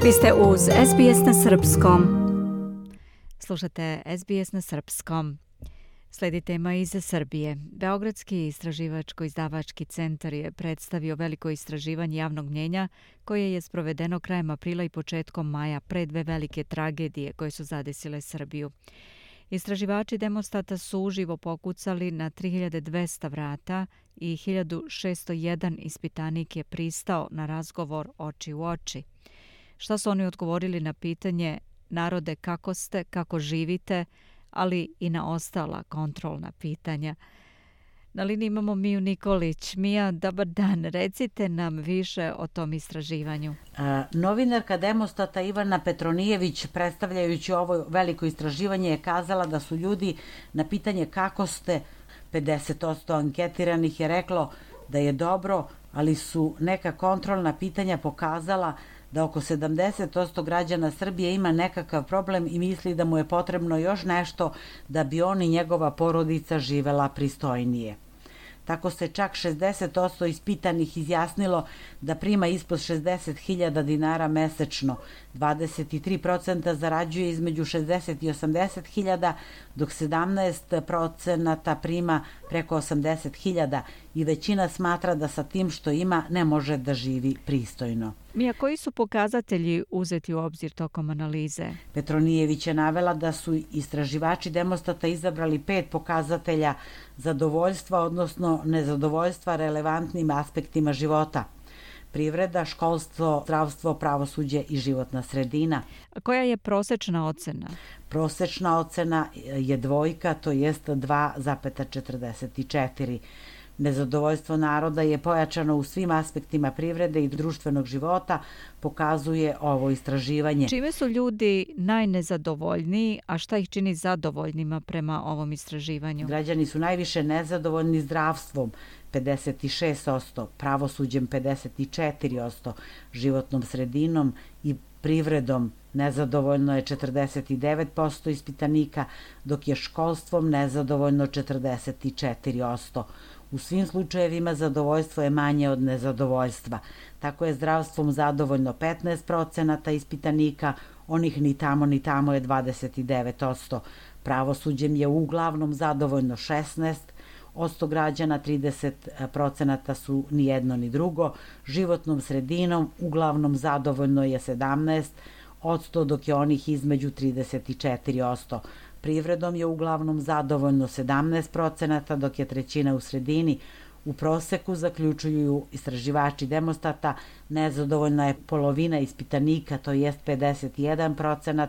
Vi ste uz SBS na Srpskom. Slušate SBS na Srpskom. Sledi tema iz Srbije. Beogradski istraživačko-izdavački centar je predstavio veliko istraživanje javnog mnjenja koje je sprovedeno krajem aprila i početkom maja pre dve velike tragedije koje su zadesile Srbiju. Istraživači Demostata su uživo pokucali na 3200 vrata i 1601 ispitanik je pristao na razgovor oči u oči. Šta su oni odgovorili na pitanje narode kako ste, kako živite, ali i na ostala kontrolna pitanja. Na liniji imamo Miju Nikolić. Mija, dobar dan. Recite nam više o tom istraživanju. Novinarka Demostata Ivana Petronijević, predstavljajući ovo veliko istraživanje, je kazala da su ljudi na pitanje kako ste, 50% anketiranih je reklo da je dobro, ali su neka kontrolna pitanja pokazala da oko 70% građana Srbije ima nekakav problem i misli da mu je potrebno još nešto da bi on i njegova porodica živela pristojnije. Tako se čak 60% ispitanih izjasnilo da prima ispod 60.000 dinara mesečno, 23% zarađuje između 60 i 80.000, dok 17% prima preko 80.000 i većina smatra da sa tim što ima ne može da živi pristojno. Mija, koji su pokazatelji uzeti u obzir tokom analize? Petronijević je navela da su istraživači Demostata izabrali 5 pokazatelja zadovoljstva, odnosno nezadovoljstva relevantnim aspektima života. Privreda, školstvo, zdravstvo, pravosuđe i životna sredina. A koja je prosečna ocena? Prosečna ocena je 2, to jest 2,44. Nezadovoljstvo naroda je pojačano u svim aspektima privrede i društvenog života, pokazuje ovo istraživanje. Čime su ljudi najnezadovoljniji, a šta ih čini zadovoljnima prema ovom istraživanju? Građani su najviše nezadovoljni zdravstvom, 56%, pravosuđem 54%, životnom sredinom i privredom nezadovoljno je 49% ispitanika, dok je školstvom nezadovoljno 44%. U svim slučajevima zadovoljstvo je manje od nezadovoljstva. Tako je zdravstvom zadovoljno 15% ispitanika, onih ni tamo je 29%. Pravosuđem je uglavnom zadovoljno 16% građana, 30% su ni jedno ni drugo. Životnom sredinom uglavnom zadovoljno je 17%, dok je onih između 34%. Privredom je uglavnom zadovoljno 17%, dok je trećina u sredini. U proseku, zaključuju istraživači Demostata, nezadovoljna je polovina ispitanika, to jest 51%,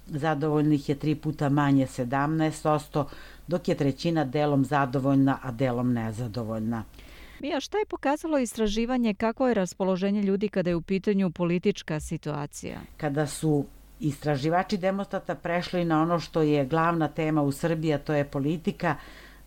zadovoljnih je 3 puta manje 17%, dok je trećina delom zadovoljna, a delom nezadovoljna. Mija, šta je pokazalo istraživanje, kako je raspoloženje ljudi kada je u pitanju politička situacija? Kada su istraživači Demostata prešli na ono što je glavna tema u Srbiji, a to je politika,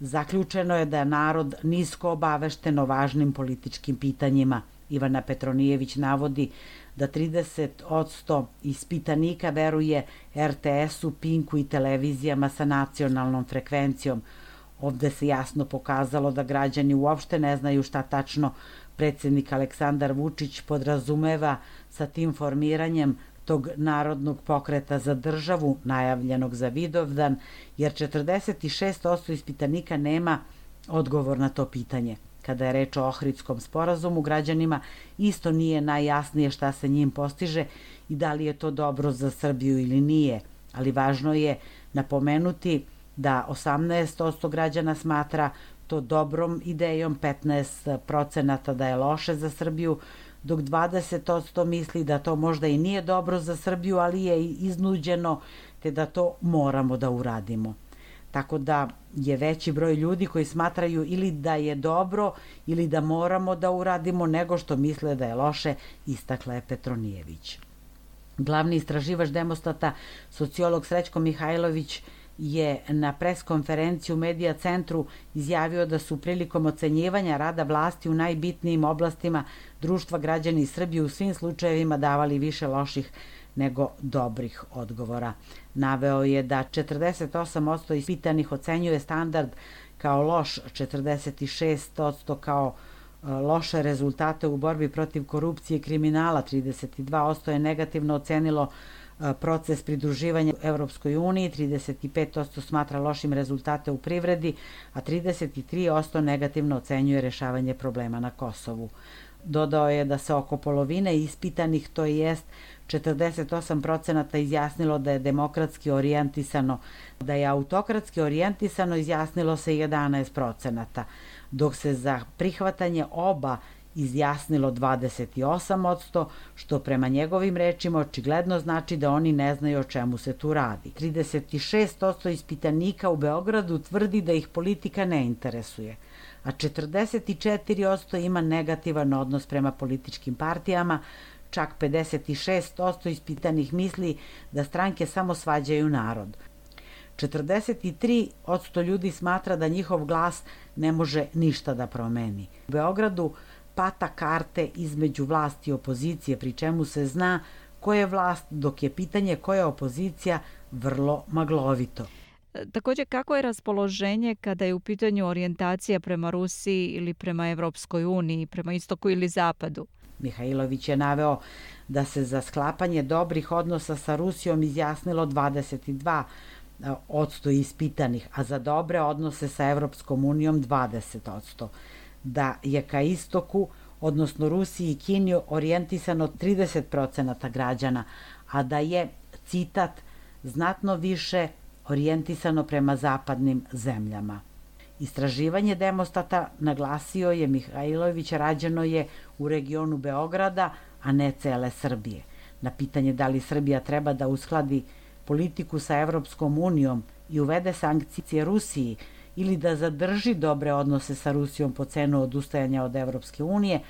zaključeno je da je narod nisko obavešten o važnim političkim pitanjima. Ivana Petronijević navodi da 30% ispitanika veruje RTS-u, Pinku i televizijama sa nacionalnom frekvencijom. Ovde se jasno pokazalo da građani uopšte ne znaju šta tačno predsjednik Aleksandar Vučić podrazumeva sa tim formiranjem tog narodnog pokreta za državu, najavljenog za Vidovdan, jer 46% ispitanika nema odgovor na to pitanje. Kada je reč o Ohridskom sporazumu, građanima isto nije najjasnije šta se njim postiže i da li je to dobro za Srbiju ili nije, ali važno je napomenuti da 18% građana smatra to dobrom idejom, 15% da je loše za Srbiju, dok 20% misli da to možda i nije dobro za Srbiju, ali je iznuđeno, te da to moramo da uradimo. Tako da je veći broj ljudi koji smatraju ili da je dobro ili da moramo da uradimo nego što misle da je loše, istakla je Petronijević. Glavni istraživač Demostata, sociolog Srećko Mihajlović, je na preskonferenciji u Medija centru izjavio da su prilikom ocenjivanja rada vlasti u najbitnijim oblastima društva građani Srbije u svim slučajevima davali više loših nego dobrih odgovora. Naveo je da 48% ispitanih ocenjuje standard kao loš, 46% kao loše rezultate u borbi protiv korupcije i kriminala. 32% je negativno ocenilo proces pridruživanja Evropskoj uniji, 35% smatra lošim rezultate u privredi, a 33% negativno ocenjuje rešavanje problema na Kosovu. Dodao je da se oko polovine ispitanih, to jest 48% izjasnilo da je demokratski orijentisano, da je autokratski orijentisano izjasnilo se 11%, dok se za prihvatanje oba izjasnilo 28%, što prema njegovim rečima očigledno znači da oni ne znaju o čemu se tu radi. 36% ispitanika u Beogradu tvrdi da ih politika ne interesuje, a 44% ima negativan odnos prema političkim partijama, čak 56% ispitanih misli da stranke samo svađaju narod. 43% ljudi smatra da njihov glas ne može ništa da promeni. U Beogradu pata karte između vlasti i opozicije, pri čemu se zna ko je vlast, dok je pitanje koja je opozicija vrlo maglovito. Također, kako je raspoloženje kada je u pitanju orijentacija prema Rusiji ili prema Evropskoj uniji, prema istoku ili zapadu? Mihajlović je naveo da se za sklapanje dobrih odnosa sa Rusijom izjasnilo 22% ispitanih, a za dobre odnose sa Evropskom unijom 20%. Da je ka istoku, odnosno Rusiji i Kini, orijentisano 30% građana, a da je, citat, znatno više orijentisano prema zapadnim zemljama. Istraživanje Demostata, naglasio je Mihajlović, rađeno je u regionu Beograda, a ne cele Srbije. Na pitanje da li Srbija treba da uskladi politiku sa Evropskom unijom i uvede sankcije Rusiji ili da zadrži dobre odnose sa Rusijom po cenu odustajanja od Evropske unije,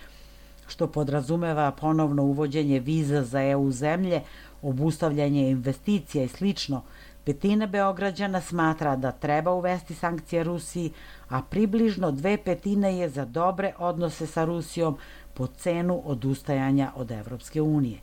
što podrazumeva ponovno uvođenje viza za EU zemlje, obustavljanje investicija i slično, petina Beograđana smatra da treba uvesti sankcije Rusiji, a približno 2/5 je za dobre odnose sa Rusijom po cenu odustajanja od Evropske unije.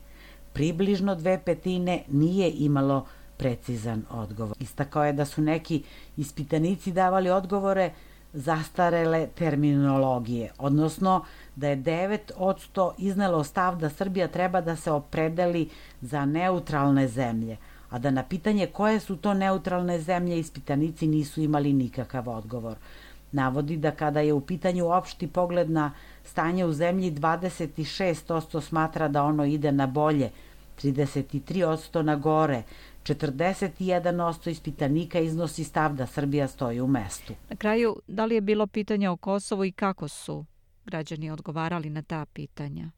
Približno 2/5 nije imalo precizan odgovor. Istakao je da su neki ispitanici davali odgovore zastarele terminologije, odnosno da je 9% iznelo stav da Srbija treba da se opredeli za neutralne zemlje, a da na pitanje koje su to neutralne zemlje ispitanici nisu imali nikakav odgovor. Navodi da kada je u pitanju opšti pogled na stanje u zemlji, 26% smatra da ono ide na bolje, 33% na gore, 41% ispitanika iznosi stav da Srbija stoji u mestu. Na kraju, da li je bilo pitanja o Kosovu i kako su građani odgovarali na ta pitanja?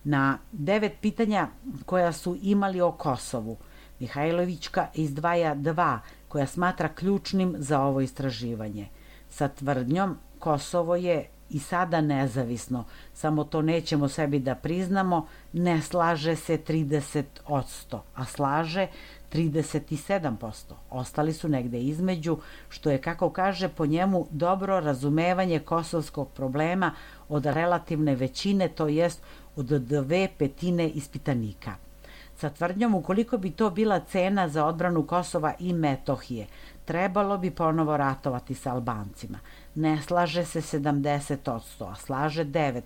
Na 9 pitanja koja su imali o Kosovu, Mihajlovićka izdvaja 2 koja smatra ključnim za ovo istraživanje. Sa tvrdnjom Kosovo je i sada nezavisno, samo to nećemo sebi da priznamo, ne slaže se 30%, a slaže 37%. Ostali su negde između, što je, kako kaže, po njemu dobro razumevanje kosovskog problema od relativne većine, to jest od 2/5 ispitanika. Sa tvrdnjom, ukoliko bi to bila cena za odbranu Kosova i Metohije, trebalo bi ponovo ratovati sa Albancima. Ne slaže se 70%, a slaže 9%.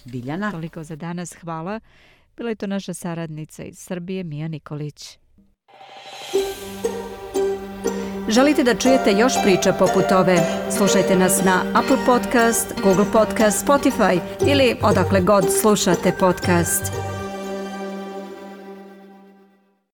Biljana? Toliko za danas, hvala. Bila je to naša saradnica iz Srbije, Mija Nikolić. Želite da čujete još priča poput ove? Slušajte nas na Apple Podcast, Google Podcast, Spotify ili odakle god slušate podcast.